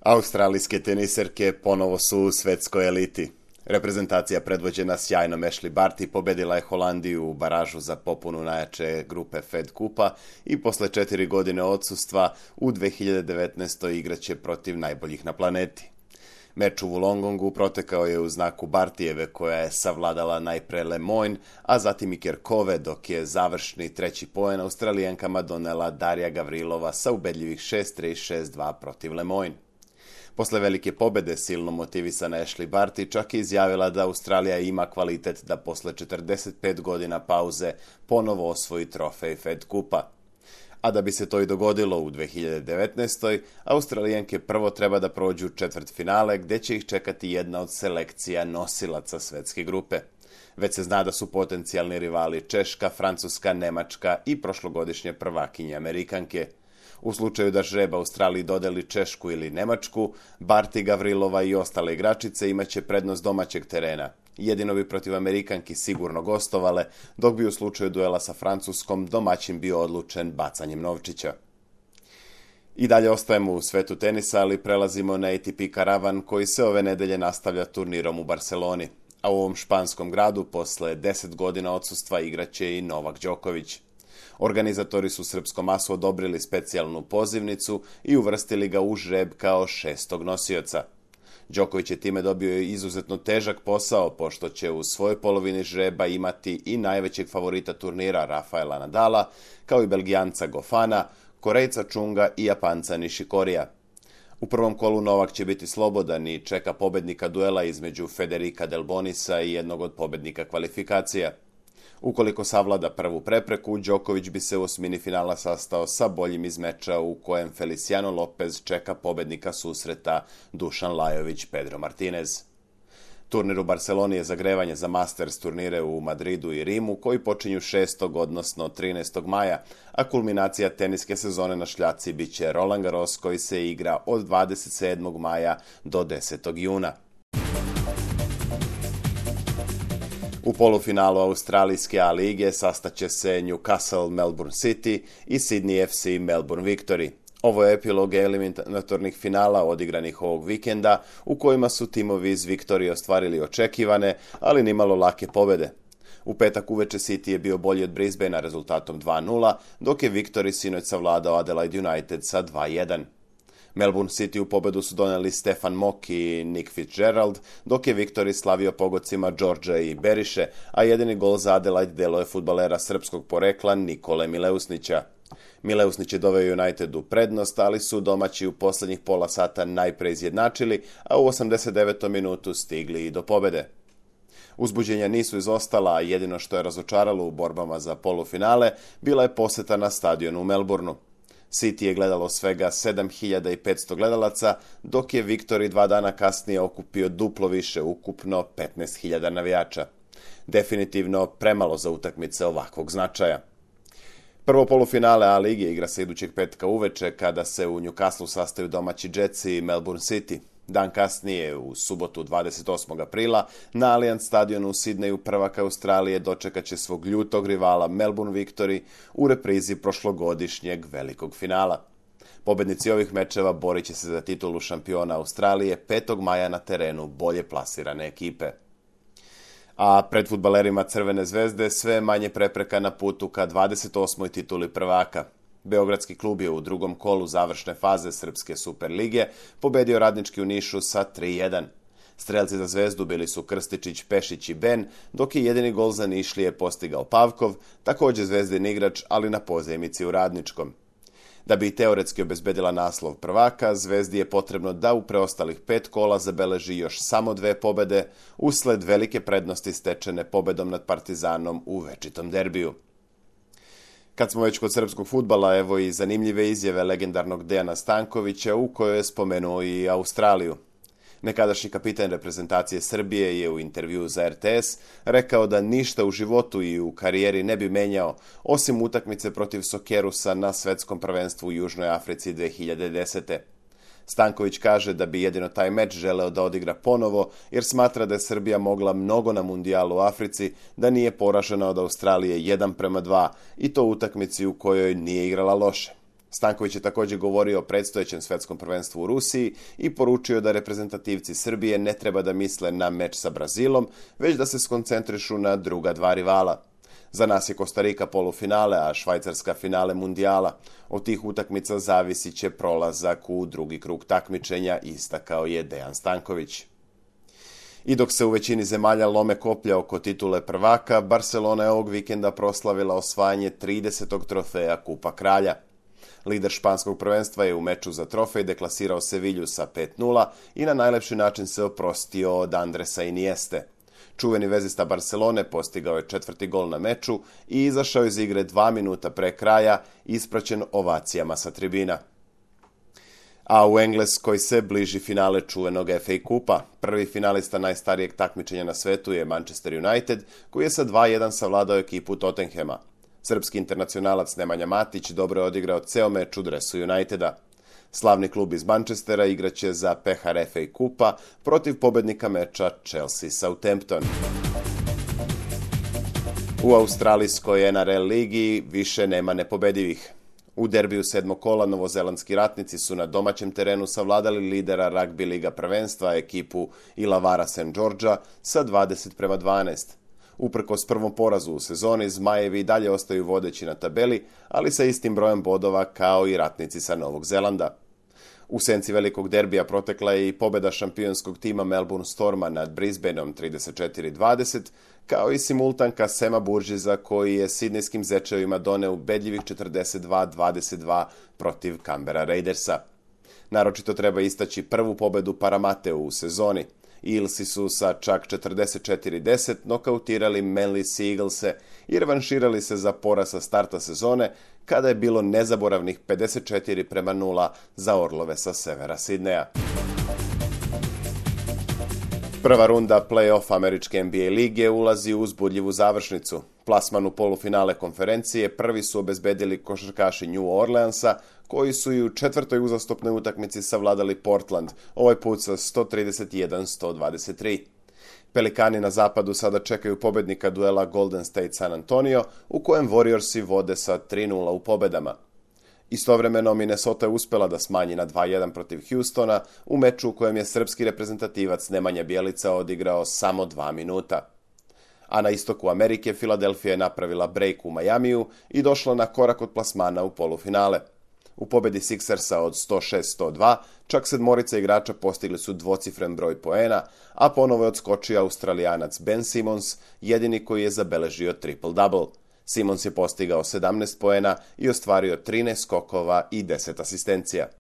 Australijske teniserke ponovo su u svetskoj eliti. Reprezentacija predvođena sjajnom Ashley Barty pobedila je Holandiju u baražu za popunu najjače grupe Fed Kupa i posle 4 godine odsustva u 2019. igraće protiv najboljih na planeti. Meč u Wollongongu protekao je u znaku Bartijeve koja je savladala najpre Lemoine, a zatim i Kerkove, dok je završni treći poen Australijankama donela Darija Gavrilova sa ubedljivih 6-3 i 6-2 protiv Lemoine. Posle velike pobede silno motivisana Ashley Barty čak je izjavila da Australija ima kvalitet da posle 45 godina pauze ponovo osvoji trofej Fed Kupa. A da bi se to i dogodilo u 2019. Australijanke prvo treba da prođu četvrtfinale gdje će ih čekati jedna od selekcija nosilaca svetske grupe. Već se zna da su potencijalni rivali Češka, Francuska, Nemačka i prošlogodišnje prvakinje Amerikanke. U slučaju da žreb Australiji dodeli Češku ili Nemačku, Barty, Gavrilova i ostale igračice imaće prednost domaćeg terena. Jedino bi protiv Amerikanki sigurno gostovale, dok bi u slučaju duela sa Francuskom domaćin bio odlučen bacanjem novčića. I dalje ostajemo u svetu tenisa, ali prelazimo na ATP karavan koji se ove nedelje nastavlja turnirom u Barceloni. A u ovom španskom gradu posle 10 godina odsustva igraće i Novak Đoković. Organizatori su srpskom masu odobrili specijalnu pozivnicu i uvrstili ga u žreb kao 6. nosioca. Đoković je time dobio izuzetno težak posao, pošto će u svojoj polovini žreba imati i najvećeg favorita turnira Rafaela Nadala, kao i Belgijanca Gofana, Korejca Čunga i Japanca Nishikorija. U prvom kolu Novak će biti slobodan i čeka pobednika duela između Federica Delbonisa i jednog od pobednika kvalifikacija. Ukoliko savlada prvu prepreku, Đoković bi se u osmini finala sastao sa boljim iz meča u kojem Feliciano Lopez čeka pobednika susreta Dušan Lajović Pedro Martinez. Turnir u Barceloni je zagrevanje za Masters turnire u Madridu i Rimu koji počinju 6. odnosno 13. maja, a kulminacija teniske sezone na šljaci bit će Roland Garros koji se igra od 27. maja do 10. juna. U polufinalu Australijske A lige sastaće se Newcastle Melbourne City i Sydney FC Melbourne Victory. Ovo je epilog eliminatornih finala odigranih ovog vikenda u kojima su timovi iz Victorije ostvarili očekivane, ali nimalo lake pobede. U petak uveče City je bio bolji od Brisbanea rezultatom 2-0, dok je Victory sinoć savladao Adelaide United sa 2-1. Melbourne City u pobedu su doneli Stefan Mock i Nick Fitzgerald, dok je Victory slavio pogodcima Đorđa i Beriše, a jedini gol za Adelaide delo je fudbalera srpskog porekla Nikole Mileusnića. Mileusnić je doveo United u prednost, ali su domaći u posljednjih pola sata najpre izjednačili, a u 89. minutu stigli i do pobede. Uzbuđenja nisu izostala, a jedino što je razočaralo u borbama za polufinale bila je poseta na stadionu u Melbourneu. City je gledalo svega 7500 gledalaca, dok je Victory 2 dana kasnije okupio duplo više, ukupno 15.000 navijača. Definitivno premalo za utakmice ovakvog značaja. Prvo polufinale A lige igra se idućeg petka uveče kada se u Newcastleu sastaju domaći Jetsi i Melbourne City. Dan kasnije, u subotu 28. aprila, na Allianz stadionu u Sidneju prvak Australije dočekat će svog ljutog rivala Melbourne Victory u reprizi prošlogodišnjeg velikog finala. Pobednici ovih mečeva borit će se za titulu šampiona Australije 5. maja na terenu bolje plasirane ekipe. A pred fudbalerima Crvene zvezde sve manje prepreka na putu ka 28. tituli prvaka. Beogradski klub je u drugom kolu završne faze Srpske Superlige pobedio Radnički u Nišu sa 3-1. Strelci za Zvezdu bili su Krstičić, Pešić i Ben, dok je jedini gol za Nišlije postigao Pavkov, također Zvezdin igrač, ali na pozajmici u Radničkom. Da bi teoretski obezbedila naslov prvaka, Zvezdi je potrebno da u preostalih 5 kola zabeleži još samo 2 pobede, usled velike prednosti stečene pobedom nad Partizanom u večitom derbiju. Kad smo već kod srpskog fudbala, evo i zanimljive izjave legendarnog Dejana Stankovića u kojoj je spomenuo i Australiju. Nekadašnji kapitan reprezentacije Srbije je u intervjuu za RTS rekao da ništa u životu i u karijeri ne bi menjao, osim utakmice protiv Sokerusa na svetskom prvenstvu u Južnoj Africi 2010. Stanković kaže da bi jedino taj meč želeo da odigra ponovo, jer smatra da je Srbija mogla mnogo na mundijalu u Africi, da nije poražena od Australije 1:2 i to u utakmici u kojoj nije igrala loše. Stanković je također govorio o predstojećem svjetskom prvenstvu u Rusiji i poručio da reprezentativci Srbije ne treba da misle na meč sa Brazilom, već da se skoncentrišu na druga dva rivala. Za nas je Kostarika polufinale, a Švajcarska finale mundijala. Od tih utakmica zavisit će prolazak u drugi krug takmičenja, istakao je Dejan Stanković. I dok se u većini zemalja lome koplja oko titule prvaka, Barcelona je ovog vikenda proslavila osvajanje 30. trofeja Kupa kralja. Lider španskog prvenstva je u meču za trofej deklasirao Sevilju sa 5:0 i na najlepši način se oprostio od Andresa Inieste. Čuveni vezista Barcelone postigao je 4. gol na meču i izašao iz igre 2 minuta pre kraja, ispraćen ovacijama sa tribina. A u Engleskoj se bliži finale čuvenog FA Kupa. Prvi finalista najstarijeg takmičenja na svetu je Manchester United, koji je sa 2:1 savladao ekipu Tottenhama. Srpski internacionalac Nemanja Matić dobro je odigrao ceo meč u dresu Uniteda. Slavni klub iz Manchestera igraće za pehar FA Kupa protiv pobednika meča Chelsea-Southampton. U australijskoj NRL ligi više nema nepobedivih. U derbiju 7. kola novozelandski ratnici su na domaćem terenu savladali lidera ragbi liga prvenstva ekipu Illawarra St. Georgea sa 20:12. Uprkos prvom porazu u sezoni, Zmajevi dalje ostaju vodeći na tabeli, ali sa istim brojem bodova kao i ratnici sa Novog Zelanda. U senci velikog derbija protekla je i pobjeda šampionskog tima Melbourne Storma nad Brisbaneom 34:20, kao i simultanka Sema Burgessa koji je sidnejskim zečevima doneo ubedljivih 42:22 protiv Canberra Raidersa. Naročito treba istaći prvu pobedu Paramateu u sezoni. Eelsi su sa čak 44:10 nokautirali Manly Sea Eaglese i revanširali se za poraz sa starta sezone, kada je bilo nezaboravnih 54:0 za Orlove sa severa Sidneja. Prva runda play-off američke NBA lige ulazi u uzbudljivu završnicu. Plasman u polufinale konferencije prvi su obezbedili košarkaši New Orleansa, koji su i u 4. uzastopnoj utakmici savladali Portland, ovaj put sa 131-123. Pelikani na zapadu sada čekaju pobednika duela Golden State San Antonio, u kojem Warriorsi vode sa 3:0 u pobedama. Istovremeno Minnesota je uspela da smanji na 2:1 protiv Houstona u meču u kojem je srpski reprezentativac Nemanja Bjelica odigrao samo 2 minuta. A na istoku Amerike Filadelfija je napravila break u Majamiju i došla na korak od plasmana u polufinale. U pobedi Sixersa od 106-102 čak 7 igrača postigli su dvocifren broj poena, a ponovo je odskočio Australijanac Ben Simmons, jedini koji je zabeležio triple-double. Simmons je postigao 17 poena i ostvario 13 skokova i 10 asistencija.